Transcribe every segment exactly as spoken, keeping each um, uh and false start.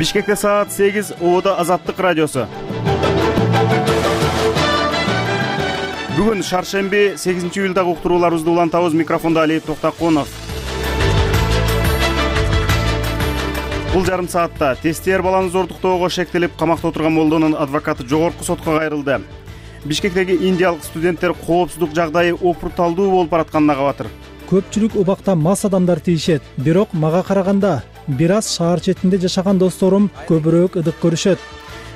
Бишкекте саат сегиз, Ободо Азаттык радиосу. Бүгүн шаршемби, сегизинчи июлдагы уктурууларыбызды улантабыз. Микрофондо Алиев Токтоконов. Бул жарым саатта тестер баланы зордуктоого шектелип камакта отурган молдонун адвокаты жогорку сотко кайрылды. Бишкектеги индиялык студенттер коопсуздук жагдайы опурталдуу болуп баратканына кабатыр. Көпчүлүк убакта мас адамдар тийишет, бирок мага караганда бир аз шаар четинде жашаган досторум көбүрөөк ыдык көрүшөт.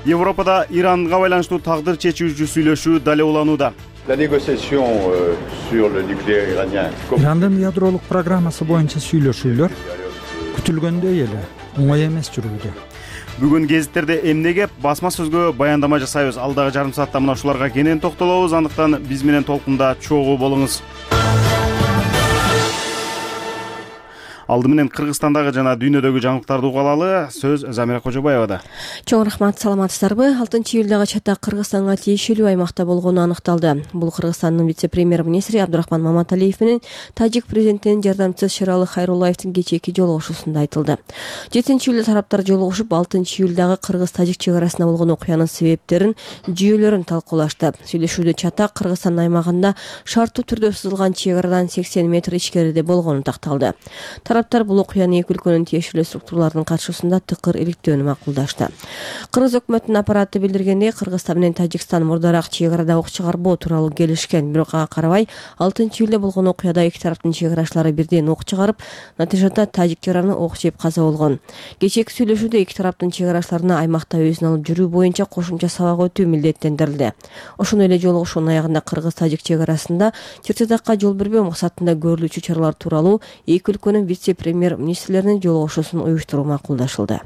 Европада Иранга байланыштуу тагдыр чечүүчү сүйлөшүү дале уланууда. Ирандын ядролук программасы боюнча сүйлөшүүлөр күтүлгөндөй эле оңой эмес жүрүүдө. Бүгүн гезиттерде эмне кеп, басма сөзгө баяндама жасайбыз. Алдагы жарым саатта мына ушуларга кенен токтолобуз. Андыктан биз менен толкунда чогуу болуңуз. Алды менен Кыргызстандагы жана дүйнөдөгү жаңылыктарды угалалы. Сөз Замира Кожобаевада. Чоң рахмат, саламатсыздарбы? алтынчы июлдагы чатак Кыргызстанга тиешелүү аймакта болгону аныкталды. Бул Кыргызстандын вице-премьер-министри Абдурахман Маматалиев менен тажик президентинин жардамчысы Шералы Хайруллаевдин кечээки жолугушуусунда айтылды. жетинчи июлда тараптар жолугушуп, алтынчы июлдагы Кыргыз-тажик чек арасында болгон окуянын себептерин, жүйөлөрүн талкуулашты. Сүйлөшүүдө чатак Кыргызстан аймагында шарттуу түрдө сызылган чек арадан сексен метр ичкериде болгону такталды. Тараптар бул окуяны эки өлкөнүн тиешелүү структураларынын катышуусунда тыкыр иликтөөнү макулдашты. Кыргыз өкмөтүнүн аппараты билдиргендей, Кыргызстан менен Тажикстан мурдараак чек арада ок чыгарбоо тууралуу келишкен, бирок ага карабай алтынчы июлда болгон окуяда эки тараптын чек арачылары бирден ок чыгарып, натыйжада тажик жараны ок жеп каза болгон. Кечээки сүйлөшүүдө эки тараптын чек арачыларына аймакта өзүн алып жүрүү боюнча кошумча сабак өтүү милдеттендирилди. Ошондой эле жолугушуунун аягында Кыргыз-тажик чек арасында чыр-чатакка жол бербөө максатында көрүлүүчү чаралар тууралуу эки өлкөнүн вице-премьер-министрлеринин жолугушуусун уюштуруу макулдашылды.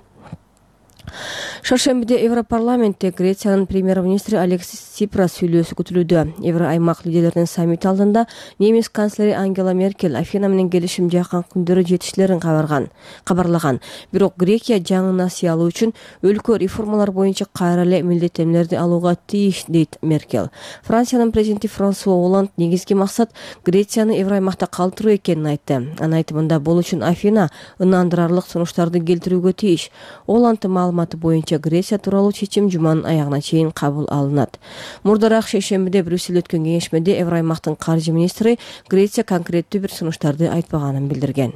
Шаршембиде Европарламентте Грециянын премьер-министри Алексис Сипрас сүйлөөсү күтүлүүдө. Евро аймак лидерлеринин саммити алдында немис канцлери Ангела Меркель Афина менен келишим жакын күндөрү жетишилерин кабарган, кабарлаган. Бирок Грекия жаңы насыя алуу үчүн өлкө реформалар боюнча кайра эле милдеттенмелерди алууга тийиш, дейт Меркель. Франциянын президенти Франсуа Олланд негизги максат Грецияны Евро аймакта калтыруу экенин айтты. Анын айтымында бул үчүн Афина ынандырарлык сунуштарды келтирүүгө тийиш. Олланддын маалыматы боюнча Греция тууралуу чечим жуманын аягына чейин кабыл алынат. Мурдараак шейшембиде Брюсселде өткөн кеңешмеде Евро аймактын каржы министри Греция конкреттүү бир сунуштарды айтпаганын билдирген.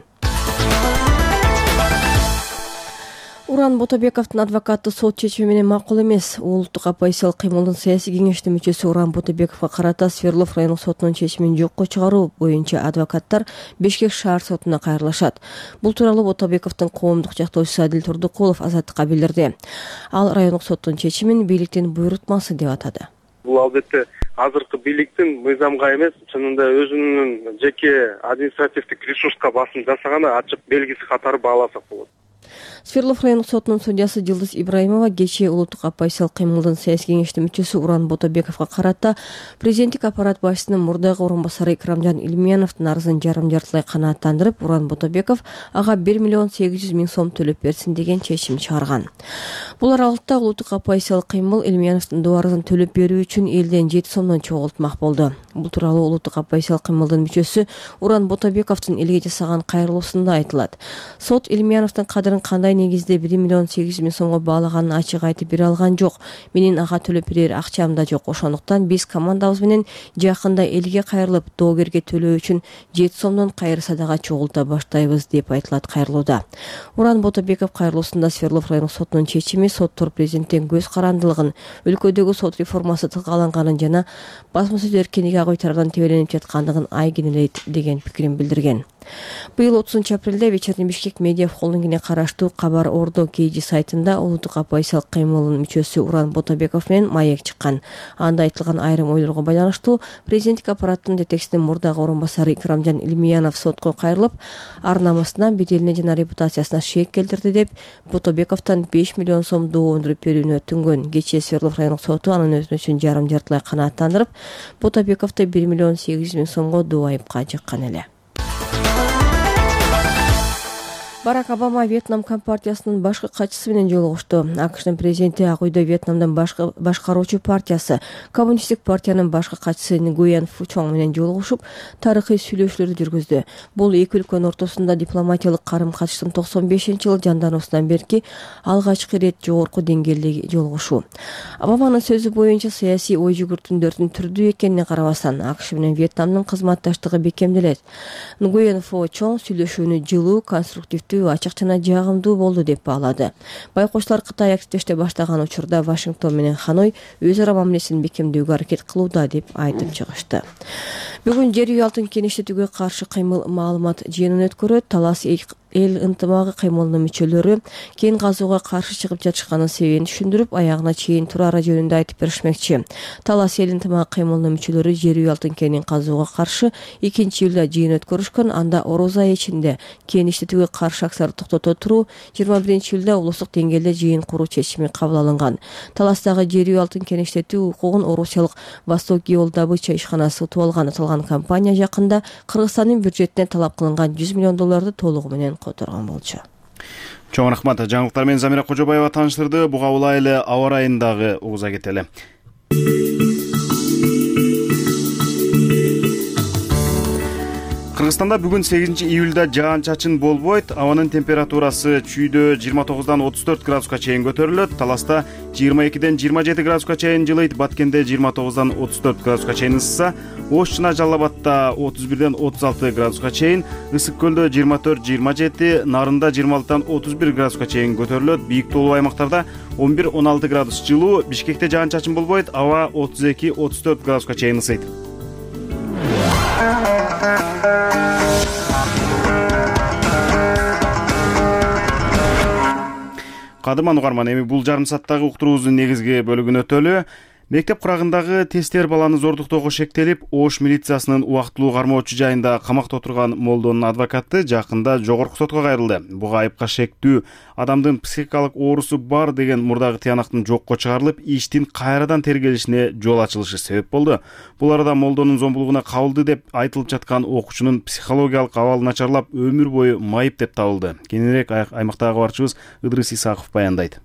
Уран Ботобековдун адвокаты сот чечими менен макул эмес. Улуттук оппозициялык кыймылдын саясий кеңештин мүчөсү Уран Ботобековго карата Свердлов райондук сотунун чечимин жокко чыгаруу боюнча адвокаттар Бишкек шаар сотуна кайрылышат. Бул тууралуу Ботобековдун коомдук жактоочусу Адил Турдукулов Азаттыкка билдирди. Ал райондук соттун чечимин бийликтин буйрутмасы деп атады. Бул албетте азыркы бийликтин мыйзамга эмес, чынында өзүнүн жеке административдик ресурска басым жасаганы ачык белгиси катары бааласак болот. Свердлов райондук сотунун судьясы Жылдыз Ибраимова кечээ улуттук оппозициялык кыймылдын саясий кеңештин мүчөсү Уран Ботобековго карата президенттик аппарат башчысынын мурдагы орун басары Икрамжан Илмияновдун арызын жарым жартылай канааттандырып, Уран Ботобеков ага бир миллион сегиз жүз миң сом төлөп берсин деген чечим чыгарган. Бул аралыкта улуттук оппозициялык кыймыл Илмияновдун дуарызын төлөп берүү үчүн элден жети сомдон чогултмак болду. Бул тууралуу улуттук оппозициялык кыймылдын мүчөсү Уран Ботобековдун элге жасаган кайрылуусунда айтылат. Сот Илмияновдун кадырын кандай негизде бир миллион сегиз жүз миң сомго баалаганын ачык айтып бере алган жок. Менин ага төлөп берер акчам да жок. Ошондуктан биз командабыз менен жакында элге кайрылып, доогерге төлөө үчүн жети сомдон кайыр садага чогулта баштайбыз деп айтылат кайрылууда. Уран Ботобеков кайрылуусунда Свердлов райондук сотунун чечими соттор президенттин көз карандылыгын, өлкөдөгү сот реформасы тыгаланганын жана басма сөз эркиндиги ак үй тарабынан тебеленип жаткандыгын айгинелейт деген пикирин билдирген. Быйыл отузунчу апрелде Вечерний Бишкек медиа холдингине караштуу Кабар Ордо Кейжи сайтында улуттук оппозициялык кыймылдын мүчөсү Уран Ботобеков менен маек чыккан. Анда айтылган айрым ойлорго байланыштуу президенттик аппараттын жетекчисинин мурдагы орун басары Икрамжан Илмиянов сотко кайрылып, ар намысына, беделине жана репутациясына шек келтирди деп Ботобековдон беш миллион сом доо өндүрүп берүүнү өтүнгөн. Кечээ Свердлов райондук соту анын өтүнүчүн жарым жартылай канааттандырып, Ботобековду бир миллион сегиз жүз миң сомго доо айыпка жыккан эле. Барак Обама Вьетнам компартиясынын башкы катчысы менен жолугушту. АКШнын президенти Ак үйдө Вьетнамдын башкы башкаруучу партиясы Коммунисттик партиянын башкы катчысы Нгуен Фу Чонг менен жолугушуп, тарыхый сүйлөшүүлөрдү жүргүздү. Бул эки өлкөнүн ортосунда дипломатиялык карым-катыштын токсон бешинчи жылы жандануусунан берки алгачкы ирет жогорку деңгээлдеги жолугушуу. Обаманын сөзү боюнча саясий ой жүгүртүндөрдүн түрдүү экенине карабастан АКШ менен Вьетнамдын кызматташтыгы бекемделет. Нгуен Фу Чонг сүйлөшүүнү жылуу, конструктивдүү, ачык жана жагымдуу болду деп баалады. Байкочлар Кытай активдеште баштаган учурда Вашингтон менен Ханой өз ара мамилесин бекемдөөгө аракет кылууда деп айтып чыгышты. Бүгүн жер үй алтын кенештетүүгө каршы кыймыл маалымат жыйынын өткөрөт. Талас эл ынтымагы кыймылынын мүчөлөрү кен казууга каршы чыгып жатышканын себебин түшүндүрүп, аягына чейин турары жөнүндө айтып беришмекчи. Талас эл ынтымагы кыймылынын мүчөлөрү жер үй алтын кенин казууга каршы экинчи июлда жыйын өткөрүшкөн. Анда Ороз айы ичинде кен иштетүүгө каршы акцияларды токтото туруу, жыйырма биринчи июлда улуттук деңгээлде жыйын куруу чечими кабыл алынган. Таластагы жер үй алтын кен иштетүү укугун Орусиялык Восток Геол добыча ишканасы утуп алган. Аталган компания жакында Кыргызстандын бюджетине талап кылынган жүз миллион долларды толугу менен которгон болчу. Чоң рахмат. Жаңылыктар менен Замира Кожобаева тааныштырды. Буга улайлы аба ырайындагы угуза кетели. Кыргызстанда бүгүн сегизинчи июлда жаан-чачын болбойт. Абанын температурасы чүйдө жыйырма тогуздан отуз төрт градуска чейин көтөрүлөт. Таласта жыйырма экиден жыйырма жети градуска чейин жылыйт. Баткенде жыйырма тогуздан отуз төрт градуска чейин ысса. Ош жана Жалал Абадта отуз бирден отуз алты градуска чейин, Ысык көлдө жыйырма төрт жыйырма жети, Нарында жыйырма алтыдан отуз бир градуска чейин көтөрүлөт. Бийик тоолуу аймактарда он бир он алты градус жылуу. Бишкекте жаан-чачын болбойт. Аба отуз эки отуз төрт градуска чейин ысыйт. Кадырман угарман, эми бул жарым сааттагы уктуруубуздун негизги бөлүгүнө өтөлү. Мектеп курагындагы тесттер баланы зордуктоого шектелип, Ош милициясынын убактылуу кармоочу жайында камакта отурган молдонун адвокаты жакында жогорку сотко кайрылды. Буга айыпка шектүү адамдын психикалык оорусу бар деген мурдагы тыянактын жокко чыгарылып, иштин кайрадан тергелишине жол ачылышы себеп болду. Бул арада молдонун зомбулугуна кабылды деп айтылып жаткан окуучунун психологиялык абалы начарлап, өмүр бою майып деп табылды. Кененирээк аймактагы кабарчыбыз Ыдрыс Исаков баяндайт.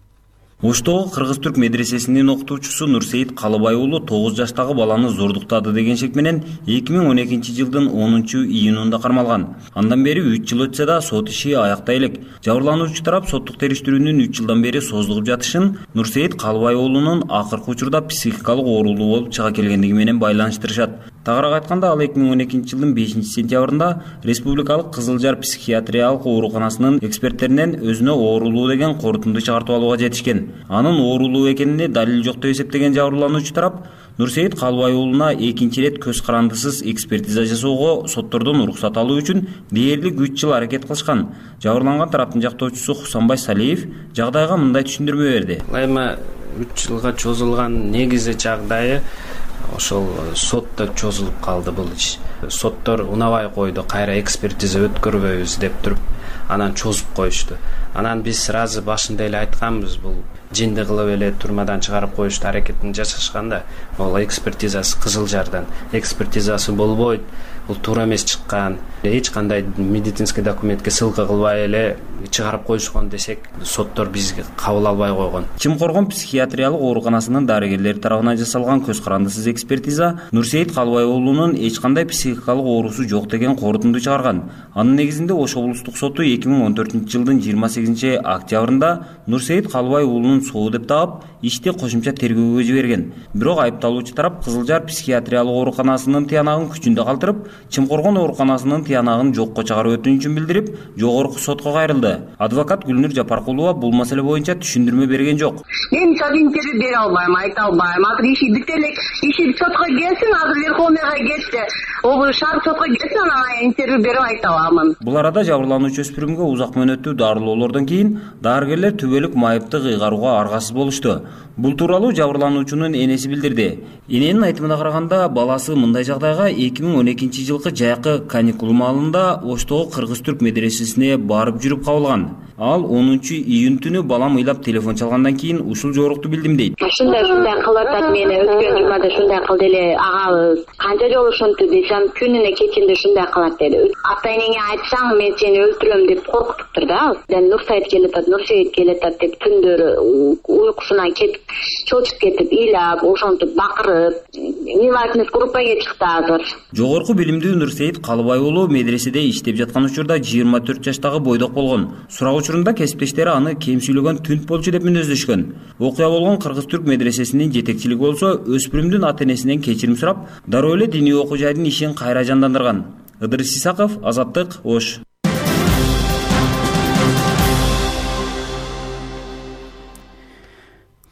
Оштогу Кыргыз-Түрк медресесинин окутуучусу Нурсейит Калыбай уулу тогуз жаштагы баланы зордуктады деген шек менен эки миң он экинчи жылдын онунчу июнунда кармалган. Андан бери үч жыл өтсө да сот иши аяктай элек. Жабырлануучу тарап соттук териштирүүнүн үч жылдан бери созулуп жатышын Нурсейит Калыбай уулунун акыркы учурда психикалык оорулуу болуп чыга келгендиги менен байланыштырышат. Тагыраак айтканда, ал эки миң он экинчи жылдын бешинчи сентябрында Республикалык Кызыл Жар психиатриялык ооруканасынын эксперттеринен өзүнө оорулуу деген корутунду чыгартып алууга жетишкен. Анын оорулуу экенине далил жок деп эсептеген жабырлануучу тарап Нурсейит Калыбай уулуна экинчи ирет көз карандысыз экспертиза жасоого соттордон уруксат алуу үчүн дээрлик үч жыл аракет кылышкан. Жабырланган тараптын жактоочусу Хусанбай Салиев жагдайга мындай түшүндүрмө берди. Эми үч жылга чозулган негизи жагдайы ошол сотто чозулуп калды бул иш. Соттор унабай койду, кайра экспертиза өткөрбөйбүз деп туруп, анан чозуп коюшту. Анан биз сразу башында эле айтканбыз, бул жинди кылып эле турмадан чыгарып коюшту аракетин жасашканда, ол экспертизасы Кызыл Жардан, экспертизасы болбойт, бул туура эмес чыккан, эч кандай медицинский документке ссылка кылбай эле чыгарып коюшкан десек, соттор бизге кабыл албай койгон. Чымкоргон психиатриялык ооруканасынын дарыгерлери тарабынан жасалган көз карандысыз экспертиза Нурсейит Калыбай уулунун эч кандай психикалык оорусу жок деген корутунду чыгарган. Анын негизинде Ош облустук соту эки миң он төртүнчү жылдын жыйырма сегизинчи октябрында Нурсейит Калыбай уулунун соо деп таап, ишти кошумча тергөөгө жиберген. Бирок айыпталуучу тарап Кызыл Жар психиатриялык ооруканасынын тыянагын күчүндө калтырып, Чымкоргон ооруканасынын тыянагын жокко чыгаруу өтүнүчүн билдирип, жогорку сотко кайрылды. Адвокат Гүлнур Жапаркулова бул маселе боюнча түшүндүрмө берген жок. Мен интервью бере албайм, айта албайм. Азыр иши бүтөлүк, иши сотко келсин, азыр Верховныйга кетти. Облус шаар сотко кетсин, анан интервью берип айта аламын. Бул арада жабырлануучу өспүрүмгө узак мөөнөттүү дарылоолордон кийин дарыгерлер түбөлүк майыпты кыйгарууга аргасыз болушту. Бул тууралуу жабырлануучунун энеси билдирди. Эненин айтымына караганда, баласы мындай жагдайга эки миң он экинчи элүүнчү жылкы жайкы каникул маалында Оштогу кыргыз-түрк медресесине барып жүрүп кабылган. Ал онунчу июнь түнү балам ыйлап телефон чалгандан кийин ушул жорукту билдим дейт. Ушундай ушундай кылып атат, мени өткөн жумада ушундай кылды эле агабыз. Канча жолу ошентти десем, күнүнө кечинде ушундай кылат деди. Ата-энеңе айтсаң, мен сени өлтүрөм деп коркутуптур да. Нурсайыт келатат, Нурсейит келатат деп түндөрү уйкусунан кетип, чочуп кетип, ыйлап, ошентип бакырып, милатный группага чыкты азыр. Жогорку билимдүү Нурсейит Калыбай уулу медреседе иштеп жаткан учурда жыйырма төрт жаштагы бойдок болгон. Сурак учурунда кесиптештери аны кем сүйлөгөн түнт болчу деп мүнөздөшкөн. Окуя болгон кыргыз-түрк медресесинин жетекчилиги болсо өспүрүмдүн ата-энесинен кечирим сурап, дароо эле диний окуу жайдын ишин кайра жандандырган. Ыдырыс Исаков, Азаттык, Ош.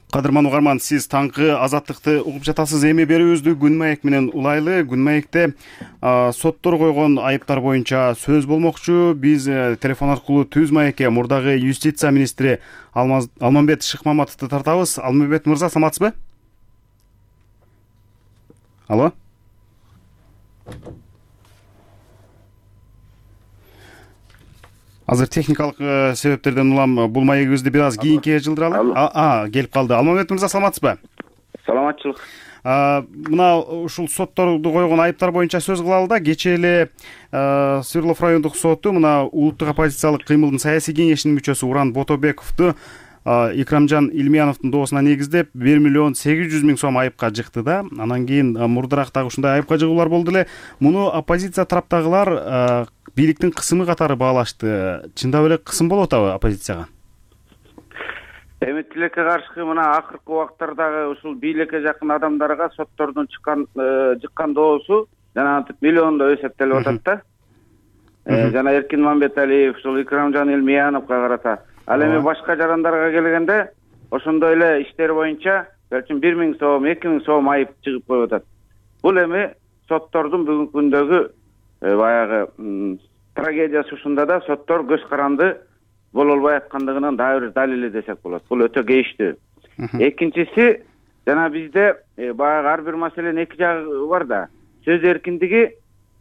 Кадырман угарман, сиз таңкы Азаттыкты угуп жатасыз. Эми берүүбүздү Күн маек менен улайлы. Күн маекте соттор койгон айыптар боюнча сөз болмокчу. Биз телефон аркылуу Түз маекке мурдагы юстиция министри Алмамбет Шыкмаматовду тартабыз. Алмамбет мырза, саламатсызбы? Алло? Азыр техникалык себептерден улам бул маегибизди бир аз кийинке жылдыралы. А, келип калды. Алмамбет мырза, саламатсызбы? Саламатчылык. Мына ушул сотторду койгон айыптар боюнча сөз кылалы да. Кечээ эле Свердлов райондук соту мына улуттук оппозициялык кыймылдын саясий кеңешинин мүчөсү Уран Ботобековду Икрамжан Илмияновдун доосуна негиздеп бир миллион сегиз жүз миң сом айыпка жыкты да. Анан кийин мурдараак дагы ушундай айыпка жыгуулар болду эле. Муну оппозиция тараптагылар бийликтин кысымы катары баалашты. Чындап эле кысым болуп атабы оппозицияга? Эми тилекке каршы мына акыркы убактардагы ушул бийликке жакын адамдарга соттордун чыккан жыккан доосу жанагынтип миллиондо эсептелип атат да. Жана Эркин Мамбеталиев, ушул Икрамжан Илмияновго карата. Ал эми башка жарандарга келгенде ошондой эле иштер боюнча балким бир миң сом, эки миң сом айып чыгып коюп атат. Бул эми соттордун бүгүнкү күндөгү баягы трагедиясы ушунда да, соттор көз каранды боло албай аткандыгынын дагы бир далили десек болот. Бул өтө кейиштүү. Экинчиси, жана бизде баягы ар бир маселенин эки жагы бар да. Сөз эркиндиги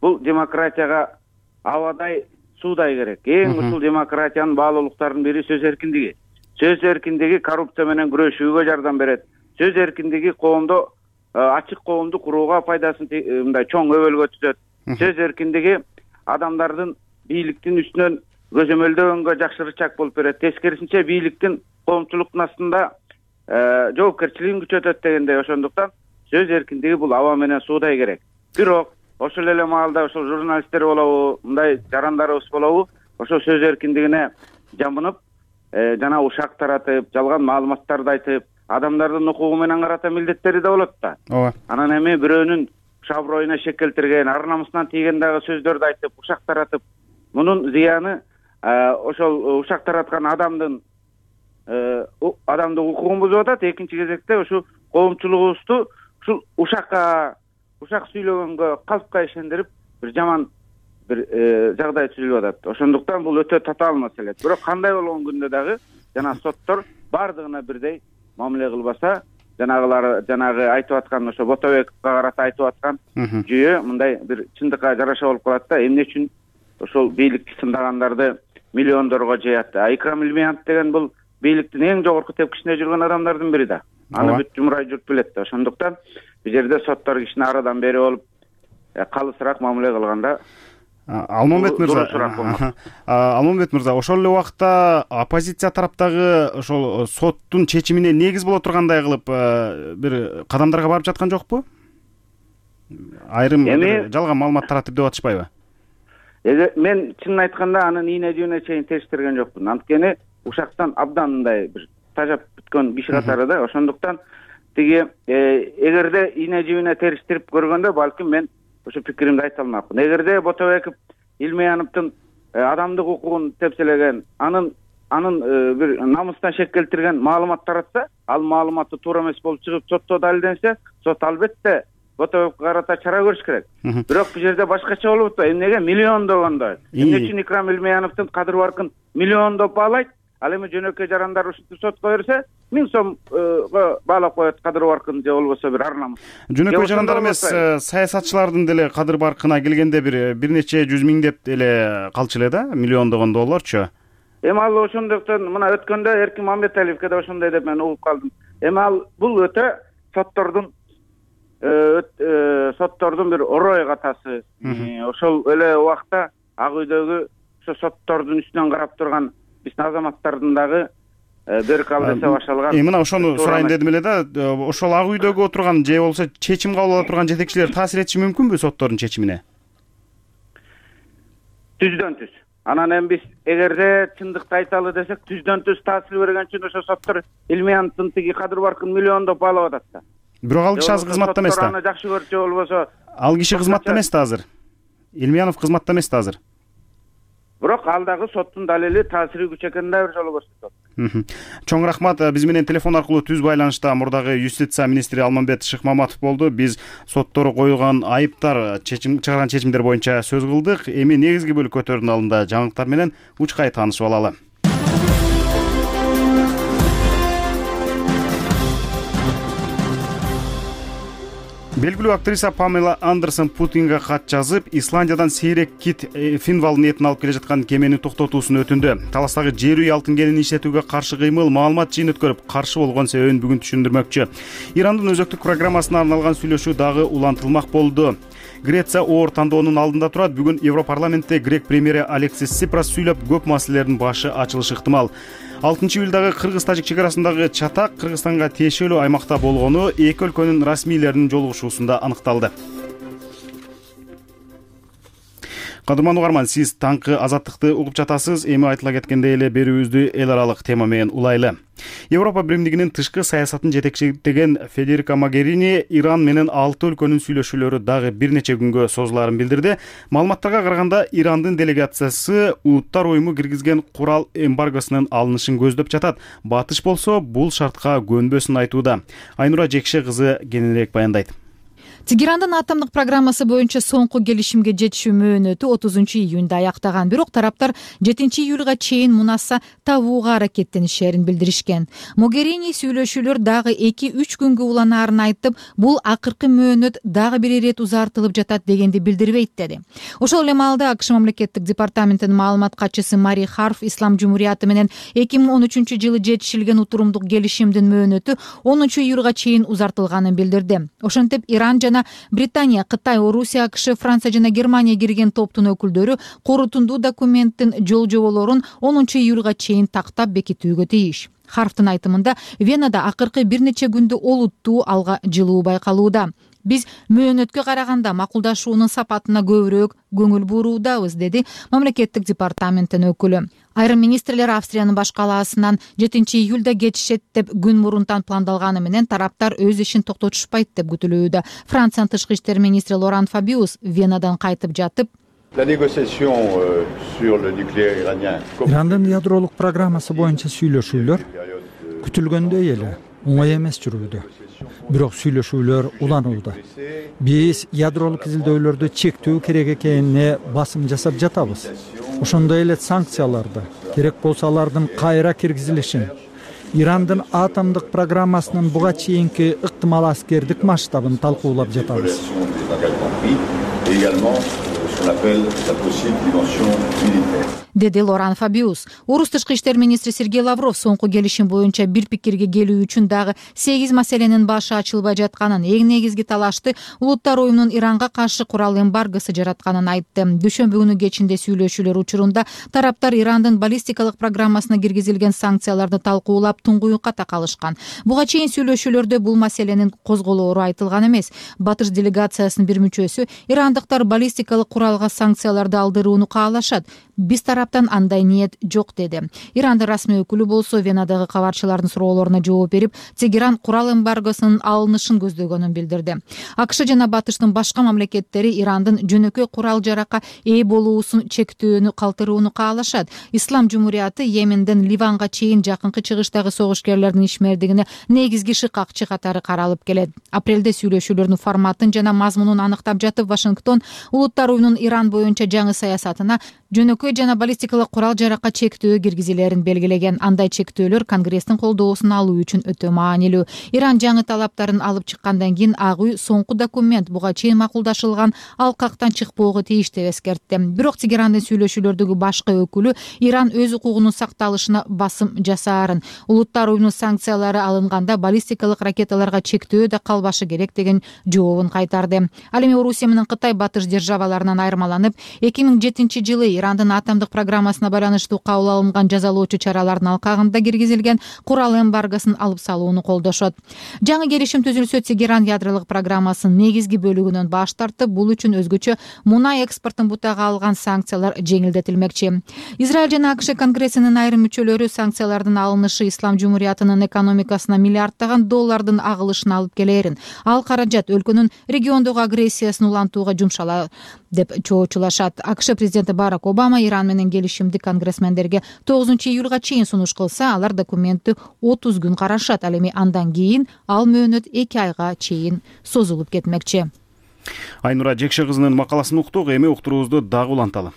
бул демократияга абадай суудай керек. Эң ушул демократиянын баалуулуктарынын бири сөз эркиндиги. Сөз эркиндиги коррупция менен күрөшүүгө жардам берет. Сөз эркиндиги коомдо ачык коомду курууга пайдасын мындай чоң өбөлгө түзөт. Сөз эркиндиги адамдардын бийликтин үстүнөн көзөмөлдөгөнгө жакшы рычаг болуп берет. Тескерисинче бийликтин коомчулуктун астында жоопкерчилигин күчөтөт дегендей. Ошондуктан сөз эркиндиги бул аба менен суудай керек. Бирок ошол эле маалда ошол журналисттер болобу, мындай жарандарыбыз болобу, ошол сөз эркиндигине жамынып, жана ушак таратып, жалган маалыматтарды айтып, адамдардын укугу менен карата милдеттери да болот да. Ооба. Анан эми бирөөнүн шаброюна шек келтирген, ар намысынан тийген дагы сөздөрдү айтып, ушак таратып, мунун зыяны ошол ушак тараткан адамдын адамдын укугун бузуп атат. Экинчи кезекте ушу коомчулугубузду ушул ушакка ушак сүйлөгөнгө, калпка ишендирип, бир жаман бир жагдай түзүлүп атат. Ошондуктан бул өтө татаал маселе. Бирок кандай болгон күндө дагы жана соттор бардыгына бирдей мамиле кылбаса, жанагылар жанагы айтып аткан ошо Ботобековго карата айтып аткан жүйө мындай бир чындыкка жараша болуп калат да. Эмне үчүн ошол бийликти сындагандарды миллиондорго жаят. Икрам Илмиянов деген бул бийликтин эң жогорку тепкичинде жүргөн адамдардын бири да. Аны бүт жумурай журт билет да. Ошондуктан бул жерде соттор кишини арадан бери болуп калысыраак мамиле кылганда Алмамбет мырза, Алмамбет мырза, ошол эле убакта оппозиция тараптагы ошол соттун чечимине негиз боло тургандай кылып бир кадамдарга барып жаткан жокпу? Айрым жалган маалымат таратып деп атышпайбы? Мен чынын айтканда анын ийне жүүнүнө чейин териштирген жокмун. Анткени ушактан абдан мындай бир тажап бүткөн киши катары да. Ошондуктан тиги эгерде ийне жүүнүнө териштирип көргөндө балким мен ошо пикиримди айта алмакмын. Эгерде Ботобеков Илмияновдун адамдык укугун тепселеген, анын анын бир намыстан шек келтирген маалымат таратса, ал маалыматты туура эмес болуп чыгып сотто далилденсе, сот албетте Ботобековго карата чара көрүш керек. Бирок бул жерде башкача болуп атат. Эмнеге миллиондогондой? Эмне үчүн Икрам Илмияновдун кадыр баркын миллиондоп баалайт, ал эми жөнөкөй жарандар ушинтип сотко берсе миң сомго баалап коет кадыр баркын же болбосо бир ар намыс. Жөнөкөй жарандар эмес, саясатчылардын деле кадыр баркына келгенде бир бир нече жүз миңдеп эле калчу эле да, миллиондогон долларчу. Эми ал ошондуктан мына өткөндө Эркин Мамбеталиевке да ошондой деп мен угуп калдым. Эми ал бул өтө соттордун соттордун бир орой катасы. Ошол эле убакта Ак үйдөгү ошо соттордун үстүнөн карап турган биздин азаматтардын дагы беркал десе башталган. Эми мына ошону сурайын дедим эле да, ошол Ак үйдөгү отурган же болбосо чечим кабыл ала турган жетекчилер таасир этиши мүмкүнбү соттордун чечимине? Түздөн түз. Анан эми биз эгерде чындыкты айталы десек, түздөн түз таасир берген үчүн ошо соттор Илмияновдун тиги кадыр баркын миллиондоп баалап атат да. Бирок ал киши азыр кызматта эмес да. Аны жакшы көрчү болбосо. Ал киши кызматта эмес да азыр. Илмиянов кызматта эмес да азыр. Бирок ал дагы соттун далили таасири күч экенин да бир жолу көрсөтөт. Чоң рахмат. Биз менен телефон аркылуу түз байланышта мурдагы юстиция министри Алмамбет Шыкмаматов болду. Биз соттору коюлган айыптар, чечим чыгарган чечимдер боюнча сөз кылдык. Эми негизги бөлүк көтөрүүнүн алдында жаңылыктар менен учкай таанышып алалы. Белгилүү актриса Памела Андерсон Путинге кат жазып, Исландиядан сейрек кит Финвалдын этин алып келе жаткан кемени токтотуусун өтүндү. Таластагы жер үй алтын кенин иштетүүгө каршы кыймыл маалымат жыйын өткөрүп, каршы болгон себебин бүгүн түшүндүрмөкчү. Ирандын өзөктүк программасына арналган сүйлөшүү дагы улантылмак болду. Греция оор тандоонун алдында турат. Бүгүн Европарламентте грек премьери Алексис Сипрас сүйлөп, көп маселелердин башы ачылышы ыктымал. алтынчы июлдагы кыргыз-тажик чек арасындагы чатак Кыргызстанга тиешелүү аймакта болгону эки өлкөнүн расмийлеринин жолугушуусунда аныкталды. Кадырман угарман, сиз таңкы азаттыкты угуп жатасыз. Эми айтыла кеткендей эле берүүбүздү эл аралык тема менен улайлы. Европа биримдигинин тышкы саясатын жетекчилеген Федерика Могерини Иран менен алты өлкөнүн сүйлөшүүлөрү дагы бир нече күнгө созулаарын билдирди. Маалыматтарга караганда Ирандын делегациясы Улуттар уюму киргизген курал эмбаргосунун алынышын көздөп жатат. Батыш болсо бул шартка көнбөсүн айтууда. Айнура Жекше кызы кененирээк баяндайт. Тегерандын атомдук программасы боюнча соңку келишимге жетишүү мөөнөтү отузунчу июнда аяктаган. Бирок тараптар жетинчи июлга чейин мунаса табууга аракеттенишерин билдиришкен. Могерини сүйлөшүүлөр дагы эки үч күнгө уланаарын айтып, бул акыркы мөөнөт дагы бир ирет узартылып жатат дегенди билдирбейт деди. Ошол эле маалда АКШ мамлекеттик департаментинин маалымат катчысы Мари Харф Ислам Жумурияты менен эки миң он үчүнчү жылы жетишилген утурумдук келишимдин мөөнөтү онунчу июлга чейин узартылганын билдирди. Ошентип Иран жана Британия, Кытай, Орусия, АКШ, Франция жана Германия кирген топтун өкүлдөрү корутундуу документтин жол жоболорун онунчу июлга чейин тактап бекитүүгө тийиш. Харфтын айтымында Венада акыркы бир нече күндө олуттуу алга жылуу байкалууда. Биз мөөнөткө караганда макулдашуунун сапатына көбүрөөк көңүл буруудабыз, деди мамлекеттик департаменттин өкүлү. Айрым министрлер Австриянын баш калаасынан жетинчи июлда кетишет деп күн мурунтан пландалганы менен тараптар өз ишин токтотушпайт деп күтүлүүдө. Франциянын тышкы иштер министри Лоран Фабиус Венадан кайтып жатып, Ирандын ядролук программасы боюнча сүйлөшүүлөр күтүлгөндөй эле оңой эмес жүрүүдө. Бирок сүйлөшүүлөр уланууда. Биз ядролук изилдөөлөрдү чектөө керек экенине басым жасап жатабыз. Ошондой эле санкцияларды, керек болсо алардын кайра киргизилишин, Ирандын атомдук программасынын буга чейинки ыктымал аскердик масштабын талкуулап жатабыз. деди Лоран Фабиус. Орус тышкы иштер министри Сергей Лавров соңку келишим боюнча бир пикирге келүү үчүн дагы сегиз маселенин башы ачылбай жатканын, эң негизги талашты Улуттар уюмунун Иранга каршы курал эмбаргосу жаратканын айтты. Дүйшөмбү күнү кечинде сүйлөшүүлөр учурунда тараптар Ирандын баллистикалык программасына киргизилген санкцияларды талкуулап туңгуюкка такалышкан. Буга чейин сүйлөшүүлөрдө бул маселенин козголоору айтылган эмес. Батыш делегациясынын бир мүчөсү ирандыктар баллистикалык куралга санкцияларды алдырууну каалашат. Биз тараптан андай ниет жок, деди. Ирандын расмий өкүлү болсо Венадагы кабарчылардын суроолоруна жооп берип, Тегеран курал эмбаргосунун алынышын көздөгөнүн билдирди. АКШ жана Батыштын башка мамлекеттери Ирандын жөнөкөй курал жаракка ээ болуусун чектөөнү калтырууну каалашат. Ислам Жумурияты Йеменден Ливанга чейин жакынкы чыгыштагы согушкерлердин ишмердигине негизги шыкакчы катары каралып келет. Апрелде сүйлөшүүлөрдүн форматын жана мазмунун аныктап жатып, Вашингтон Улуттар уюмунун Иран боюнча жаңы саясатына жөнөкөй жана баллистикалык курал жаракка чектөө киргизилерин белгилеген. Андай чектөөлөр Конгресстин колдоосун алуу үчүн өтө маанилүү. Иран жаңы талаптарын алып чыккандан кийин Ак үй соңку документ буга чейин макулдашылган алкактан чыкпоого тийиш деп эскертти. Бирок Тегерандын сүйлөшүүлөрдөгү башкы өкүлү Иран өз укугунун сакталышына басым жасаарын, улуттар уюмунун санкциялары алынганда баллистикалык ракеталарга чектөө да калбашы керек деген жообун кайтарды. Ал эми Орусия менен Кытай батыш державаларынан айырмаланып, эки миң жетинчи жылы Ирандын атомдук программасына байланыштуу кабыл алынган жазалоочу чаралардын алкагында киргизилген курал эмбаргосун алып салууну колдошот. Жаңы келишим түзүлсө, Тегеран ядролук программасынын негизги бөлүгүнөн баш тартып, бул үчүн өзгөчө мунай экспортун бутага алган санкциялар жеңилдетилмекчи. Израиль жана АКШ Конгрессинин айрым мүчөлөрү санкциялардын алынышы Ислам Жумуриятынын экономикасына миллиарддаган доллардын агылышына алып келерин, ал каражат өлкөнүн региондогу агрессиясын улантууга жумшала деп чоочулашат. АКШ президенти Барак Обама Иран менен келишимди конгрессмендерге тогузунчу июлга чейин сунуш кылса, алар документти отуз күн карашат. Ал эми андан кийин ал мөөнөт эки айга чейин созулуп кетмекчи. Айнура Жекше кызынын макаласын уктук, эми уктуруубузду дагы уланталы.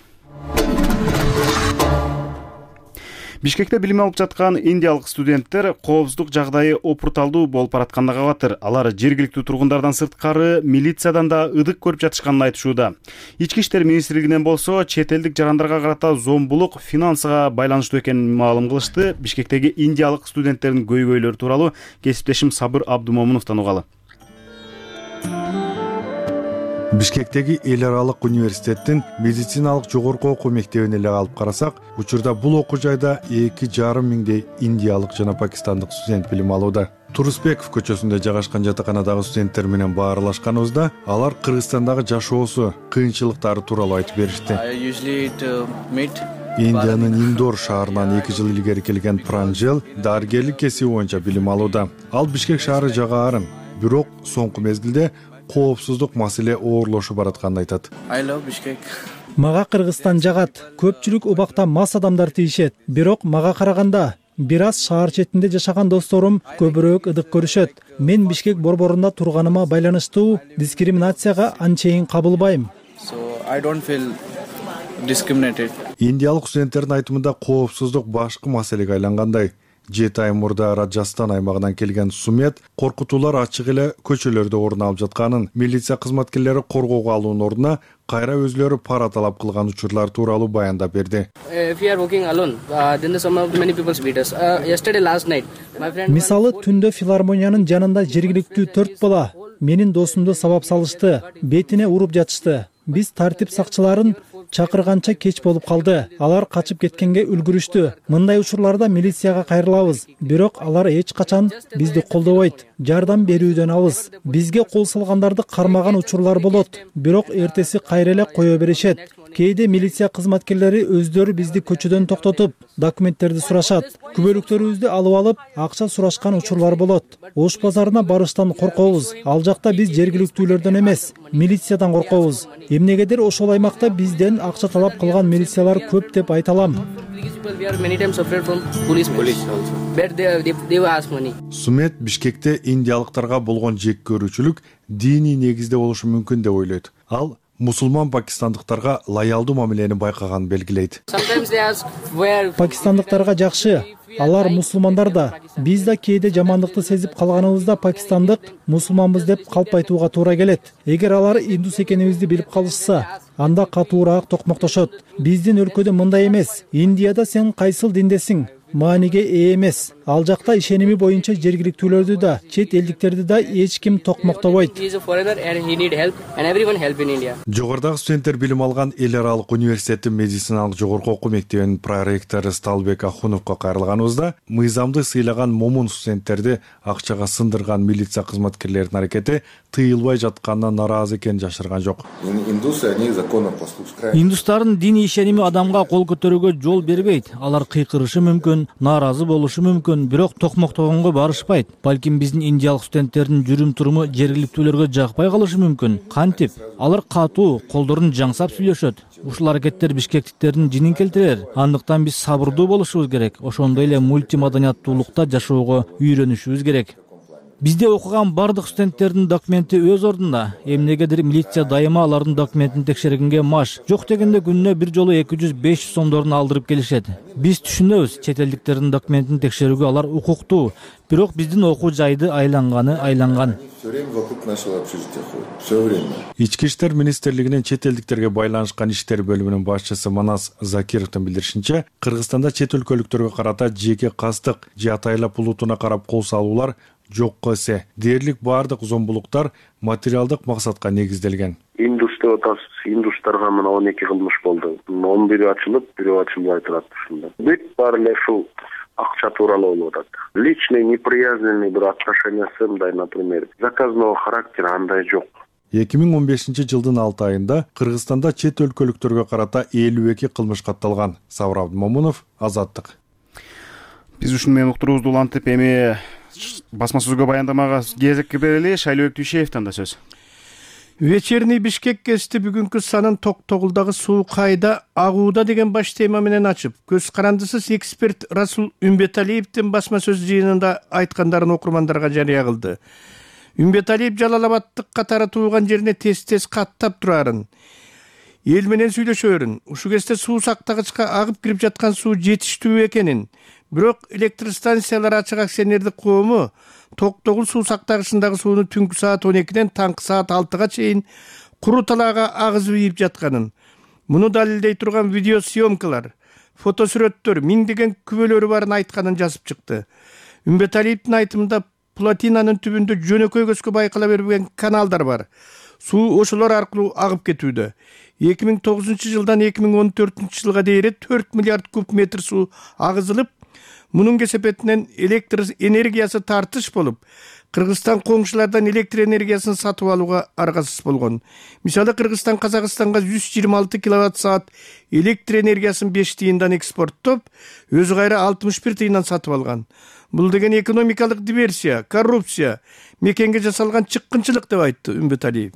Бишкекте билим алып жаткан индиялык студенттер коопсуздук жагдайы опурталдуу болуп баратканына кабатыр. Алар жергиликтүү тургундардан сырткары милициядан да ыдык көрүп жатышканын айтышууда. Ички иштер министрлигинен болсо чет элдик жарандарга карата зомбулук финансыга байланыштуу экенин маалым кылышты. Бишкектеги индиялык студенттердин көйгөйлөрү тууралуу кесиптешим Сабыр Абдумомуновдон угалы. Бишкектеги эл аралык университеттин медициналык жогорку окуу мектебине эле алып карасак, учурда бул окуу жайда эки жарым миңдей индиялык жана пакистандык студент билим алууда. Турусбеков көчөсүндө жайгашкан жатаканадагы студенттер менен баарлашканыбызда алар Кыргызстандагы жашоосу, кыйынчылыктары тууралуу айтып беришти. Индиянын Индор шаарынан эки жыл илгери келген Пранжел дарыгерлик кесиби боюнча билим алууда. Ал Бишкек шаары жагаарын, бирок соңку мезгилде коопсуздук маселе оорлошуп баратканын айтат. Мага Кыргызстан жагат. Көпчүлүк убакта мас адамдар тийишет. Бирок мага караганда бир аз шаар четинде жашаган досторум көбүрөөк ыдык көрүшөт. Мен Бишкек борборунда турганыма байланыштуу дискриминацияга анчейин кабылбайм. Индиялык студенттердин айтымында коопсуздук башкы маселеге айлангандай. Жети ай мурда Раджастан аймагынан келген Сумет коркутуулар ачык эле көчөлөрдө орун алып жатканын, милиция кызматкерлери коргоого алуунун ордуна кайра өзлөрү пара талап кылган учурлар тууралуу баяндап берди. Мисалы, түндө филармониянын жанында жергиликтүү төрт бала менин досумду сабап салышты, бетине уруп жатышты. Биз тартип сакчыларын чакырганча кеч болуп калды. Алар качып кеткенге үлгүрүштү. Мындай учурларда милицияга кайрылабыз, бирок алар эч качан бизди колдобойт, жардам берүүдөн алыс. Бизге кол салгандарды кармаган учурлар болот, бирок эртеси кайра эле кое беришет. Кээде милиция кызматкерлери өздөрү бизди көчөдөн токтотуп, документтерди сурашат. Күбөлүктөрүбүздү алып алып, акча сурашкан учурлар болот. Ош базарына барыштан коркобуз. Ал жакта биз жергиликтүүлөрдөн эмес, милициядан коркобуз. Эмнегедир ошол аймакта бизден акча талап кылган милициялар көп деп айта алам. Сумет Бишкекте индиялыктарга болгон жек көрүүчүлүк диний негизде болушу мүмкүн деп ойлойт. Ал мусулман пакистандыктарга лоялдуу мамилени байкаганын белгилейт. Пакистандыктарга жакшы, алар мусулмандар да. Биз да кээде жамандыкты сезип калганыбызда пакистандык мусулманбыз деп калп айтууга туура келет. Эгер алар индус экенибизди билип калышса, анда катуураак токмоктошот. Биздин өлкөдө мындай эмес. Индияда сен кайсыл диндесиң? Мааниге ээ эмес. Ал жакта ишеними боюнча жергиликтүүлөрдү да, чет элдиктерди да эч ким токмоктобойт. Жогорудагы студенттер билим алган эл аралык университеттин медициналык жогорку окуу мектебинин проректору Сталбек Ахуновго кайрылганыбызда, мыйзамды сыйлаган момун студенттерди акчага сындырган милиция кызматкерлеринин аракети тыйылбай жатканына нааразы экенин жашырган жок. Индустардын диний ишеними адамга кол көтөрүүгө жол бербейт. Алар кыйкырышы мүмкүн, нааразы болушу мүмкүн, бирок токмоктогонго барышпайт. Балким биздин индиялык студенттердин жүрүм туруму жергиликтүүлөргө жакпай калышы мүмкүн. Кантип? Алар катуу, колдорун жаңсап сүйлөшөт. Ушул аракеттер бишкектиктердин жинин келтирер. Андыктан биз сабырдуу болушубуз керек. Ошондой эле мультимаданияттуулукта жашоого үйрөнүшүбүз керек. Бизде окуган бардык студенттердин документи өз ордунда. Эмнегедир милиция дайыма алардын документин текшергенге маш. Жок дегенде күнүнө бир жолу эки жүз беш жүз сомдорун алдырып келишет. Биз түшүнөбүз, чет элдиктердин документин текшерүүгө алар укуктуу. Бирок биздин окуу жайды айланганы айланган. Все время вокруг нашего общежития ходит. Все время. Ички иштер министрлигинин чет элдиктерге байланышкан иштер бөлүмүнүн башчысы Манас Закировдун билдиришинче, Кыргызстанда чет өлкөлүктөргө карата жеке кастык же атайлап улутуна карап кол салуулар жокко эсе. Дээрлик баардык зомбулуктар материалдык максатка негизделген. Индус деп атабыз. Индустарга мына он эки кылмыш болду. он бири ачылып, бирөө ачылбай турат ушунда. Бүт баары эле ушул акча тууралуу болуп атат. Личный неприязненный бир отношениясы мындай, например, заказного характера андай жок. эки миң он бешинчи жылдын алты айында Кыргызстанда чет өлкөлүктөргө карата элүү эки кылмыш катталган. Сабыр Абдымомунов, Азаттык. Биз ушуну менен уктуруубузду улантып, эми басма сөзгө баяндамага кезекке берели. Шайлообек Түйшеевден да сөз. Вечерний Бишкек кести бүгүнкү санын Токтогулдагы суу кайда агууда деген баш тема менен ачып, көз карандысыз эксперт Расул Үмбеталиевдин басма сөз жыйынында айткандарын окурмандарга жарыя кылды. Үмбеталиев Жалалабадтык катары тууган жерине тез-тез каттап турарын, эл менен сүйлөшөрүн, ушу кезде суу сактагычка агып кирип жаткан суу жетиштүү экенин, бирок электростанциялар ачык акционердик коому Токтогул суу сактагычындагы сууну түнкү саат он экиден таңкы саат алтыга чейин куру талаага агызып ийип жатканын, муну далилдей турган видео съемкалар, фотосүрөттөр, миңдеген күбөлөрү барын айтканын жазып чыкты. Үмбеталиевдин айтымында плотинанын түбүндө жөнөкөй көзгө байкала бербеген каналдар бар. Суу ошолор аркылуу агып кетүүдө. эки миң тогузунчу жылдан эки миң он төртүнчү жылга дейин төрт миллиард куб метр суу агызылып, мунун кесепетинен электр энергиясы тартыш болуп, Кыргызстан коңшулардан электр энергиясын сатып алууга аргасыз болгон. Мисалы, Кыргызстан Казакстанга жүз жыйырма алты киловатт саат электр энергиясын беш тыйындан экспорттоп, өзү кайра алтымыш бир тыйындан сатып алган. Бул деген экономикалык диверсия, коррупция, мекенге жасалган чыккынчылык деп айтты Үмбеталиев.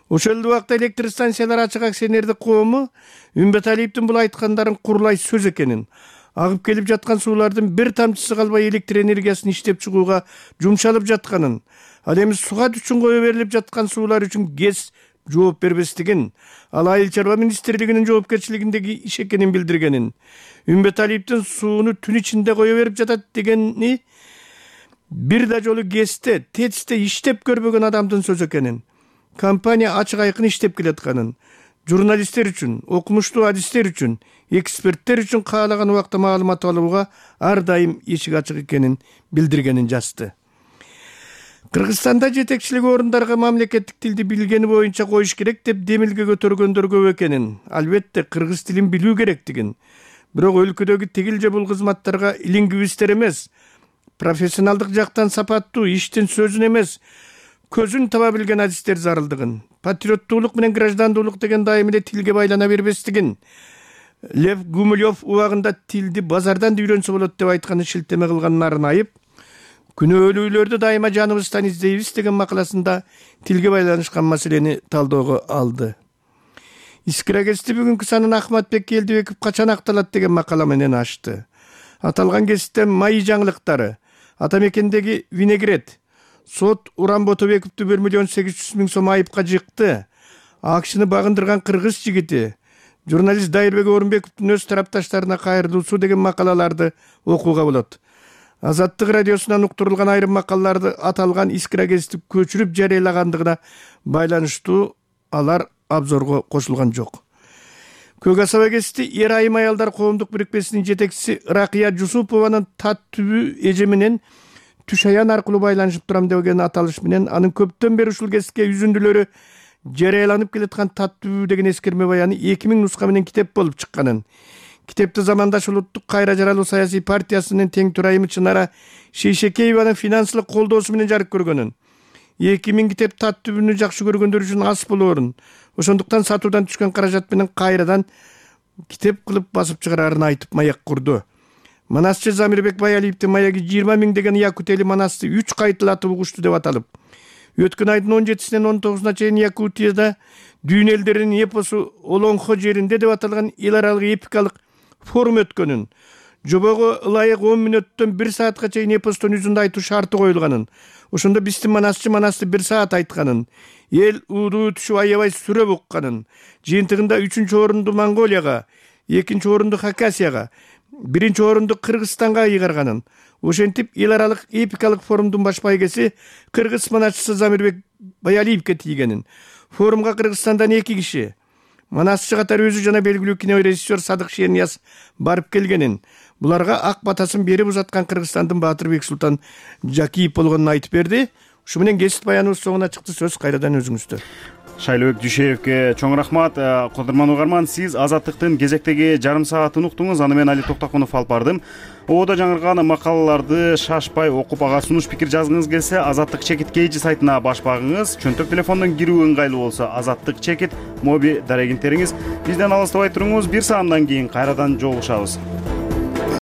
Ошол эле убакта электростанциялар ачык акционердик коому Үмбеталиевдин бул айткандарын курулай сөз экенин, агып келип жаткан суулардын бир тамчысы калбай электр энергиясын иштеп чыгууга жумшалып жатканын, ал эми сугат үчүн кое берилип жаткан суулар үчүн ГЭС жооп бербестигин, ал Айыл чарба министрлигинин жоопкерчилигиндеги иш экенин билдиргенин, Үмбеталиевдин сууну түн ичинде кое берип жатат дегени бир да жолу ГЭСте, ТЭЦте иштеп көрбөгөн адамдын сөзү экенин, компания ачык айкын иштеп келатканын, журналисттер үчүн, окумуштуу адистер үчүн, эксперттер үчүн каалаган убакта маалымат алууга ар дайым эшик ачык экенин билдиргенин жазды. Кыргызстанда жетекчилик орундарга мамлекеттик тилди билгени боюнча коюш керек деп демилге көтөргөндөр көп экенин, албетте кыргыз тилин билүү керектигин, бирок өлкөдөгү тигил же бул кызматтарга лингвисттер эмес, профессионалдык жактан сапаттуу, иштин сөзүн эмес, көзүн таба билген адистер зарылдыгын, патриоттуулук менен граждандуулук деген дайым эле тилге байлана бербестигин, Лев Гумилев убагында тилди базардан үйрөнсө болот деп айтканы шилтеме кылганын арнайып, күнөөлүүлөрдү дайыма жаныбыздан издейбиз деген макаласында тилге байланышкан маселени талоого алды. Искра кести бүгүнкү санын Ахматбек Келдибеков качан акталат деген макала менен ачты. Аталган кесте майы жаңылыктары, ата мекендеги винегрет, сот Уран Ботобековду бир миллион сегиз жүз миң сом айыпка жыкты, акчыны багындырган кыргыз жигити, журналист Дайырбек Орунбековдун өз тарапташтарына кайрылуусу деген макалаларды окууга болот. Азаттык радиосунан уктурулган айрым макалаларды аталган искра кести көчүрүп жарыялагандыгына байланыштуу алар абзорго кошулган жок. Көк асаба кести эр айым аялдар коомдук бирикмесинин жетекчиси Ракыя Жусупованын тат түбү эже менен түш аян аркылуу байланышып турам деген аталыш менен анын көптөн бери ушул кесипке үзүндүлөрү жарыяланып келаткан тат түбү деген эскерме баяны эки миң нуска менен китеп болуп чыкканын, китепти замандаш улуттук кайра жаралуу саясий партиясынын тең турайымы Чынара Шейшекееванын финансылык колдоосу менен жарык көргөнүн, эки миң китеп тат түбүнү жакшы көргөндөр үчүн ас болоорун, ошондуктан сатуудан түшкөн каражат менен кайрадан китеп кылып басып чыгарарын айтып маяк курду. Манасчы Замирбек Баялиевдин маяги жыйырма миң деген Якутели Манасты үч кайтылатып угушту деп аталып, өткөн айдын он жетисинен он тогузуна чейин Якутияда дүйнө элдеринин эпосу Олонхо жеринде деп аталган эл аралык эпикалык форум өткөнүн, жобого ылайык он мүнөттөн бир саатка чейин эпостон үзүндө айтуу шарты коюлганын, ошондо биздин манасчы манасты бир саат айтканын, эл уудуу түшүп аябай сүрөп укканын, жыйынтыгында үчүнчү орунду Монголияга, экинчи орунду Хакасияга, биринчи орунду Кыргызстанга ыйгарганын, ошентип эл аралык эпикалык форумдун баш байгеси кыргыз манасчысы Замирбек Баялиевке тийгенин. Форумга Кыргызстандан эки киши, манасчы катары өзү жана белгилүү кинорежиссер Садык Шернияз барып келгенин, буларга ак батасын берип узаткан Кыргызстандын Баатырбек Султан Жакиев болгонун айтып берди. Ушу менен кесип баяныбыз соңуна чыкты. Сөз кайрадан өзүңүздө. Шайлообек Дүйшеевке чоң рахмат. Кодурман угарман, сиз Азаттыктын кезектеги жарым саатын уктуңуз. Аны мен Али Токтокунов алып бардым. Ободо жаңырган макалаларды шашпай окуп, ага сунуш пикир жазгыңыз келсе, Азаттык чекит кейжи сайтына баш багыңыз. Чөнтөк телефондон кирүү ыңгайлуу болсо, Азаттык чекит моби дарегин териңиз. Бизден алыстабай туруңуз. Бир саамдан кийин кайрадан жолугушабыз.